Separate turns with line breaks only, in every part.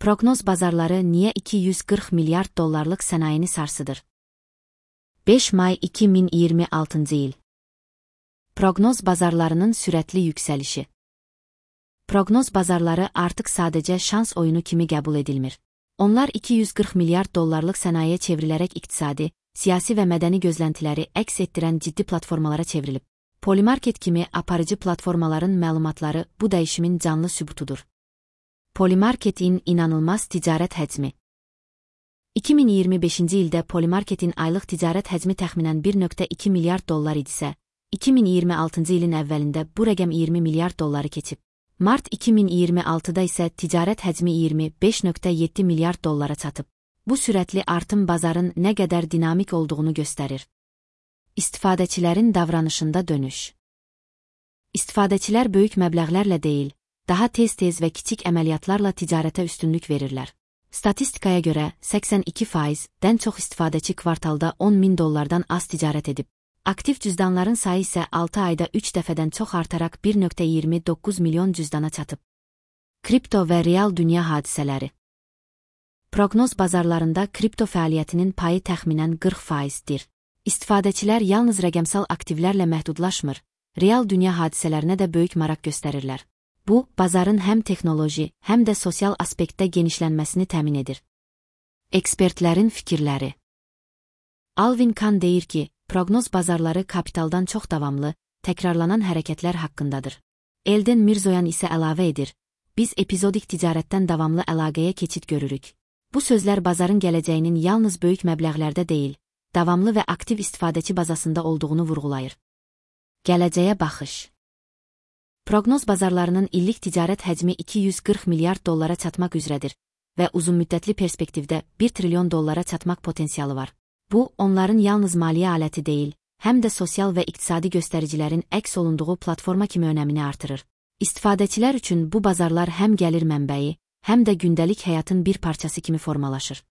Proqnoz bazarları niyə 240 milyard dollarlıq sənayeni sarsıdır? 5 may 2026 il. Proqnoz bazarlarının sürətli yüksəlişi. Proqnoz bazarları artıq sadəcə şans oyunu kimi qəbul edilmir. Onlar 240 milyard dollarlıq sənayeyə çevrilərək iqtisadi, siyasi və mədəni gözləntiləri əks etdirən ciddi platformalara çevrilib. Polymarket kimi aparıcı platformaların məlumatları bu dəyişimin canlı sübutudur. Polymarketin inanılmaz ticarət həcmi. 2025-ci ildə Polymarketin aylıq ticarət həcmi təxminən 1,2 milyard dollar idisə, 2026-cı ilin əvvəlində bu rəqəm 20 milyard dolları keçib. Mart 2026-da isə ticarət həcmi 25,7 milyard dollara çatıb. Bu sürətli artım bazarın nə qədər dinamik olduğunu göstərir. İstifadəçilərin davranışında dönüş. İstifadəçilər böyük məbləğlərlə deyil, daha tez-tez və kiçik əməliyyatlarla ticarətə üstünlük verirlər. Statistikaya görə 82%-dən çox istifadəçi kvartalda 10.000 dollardan az ticarət edib. Aktiv cüzdanların sayı isə 6 ayda 3 dəfədən çox artaraq 1,29 milyon cüzdana çatıb. Kripto və real dünya hadisələri. Proqnoz bazarlarında kripto fəaliyyətinin payı təxminən 40%-dir. İstifadəçilər yalnız rəqəmsal aktivlərlə məhdudlaşmır, real dünya hadisələrinə də böyük maraq göstərirlər. Bu, bazarın həm texnoloji, həm də sosial aspektdə genişlənməsini təmin edir. Ekspertlərin fikirləri. Alvin Kahn deyir ki, proqnoz bazarları kapitaldan çox davamlı, təkrarlanan hərəkətlər haqqındadır. Elden Mirzoyan isə əlavə edir, biz epizodik ticarətdən davamlı əlaqəyə keçid görürük. Bu sözlər bazarın gələcəyinin yalnız böyük məbləğlərdə deyil, davamlı və aktiv istifadəçi bazasında olduğunu vurğulayır. Gələcəyə baxış. Proqnoz bazarlarının illik ticarət həcmi 240 milyard dollara çatmaq üzrədir və uzunmüddətli perspektivdə 1 trilyon dollara çatmaq potensialı var. Bu, onların yalnız maliyyə aləti deyil, həm də sosial və iqtisadi göstəricilərin əks olunduğu platforma kimi önəmini artırır. İstifadəçilər üçün bu bazarlar həm gəlir mənbəyi, həm də gündəlik həyatın bir parçası kimi formalaşır.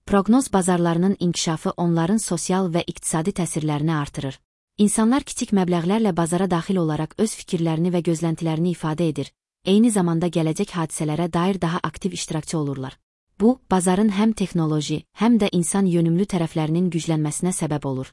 Proqnoz bazarlarının inkişafı onların sosial və iqtisadi təsirlərini artırır. İnsanlar kiçik məbləğlərlə bazara daxil olaraq öz fikirlərini və gözləntilərini ifadə edir, eyni zamanda gələcək hadisələrə dair daha aktiv iştirakçı olurlar. Bu, bazarın həm texnoloji, həm də insan yönümlü tərəflərinin güclənməsinə səbəb olur.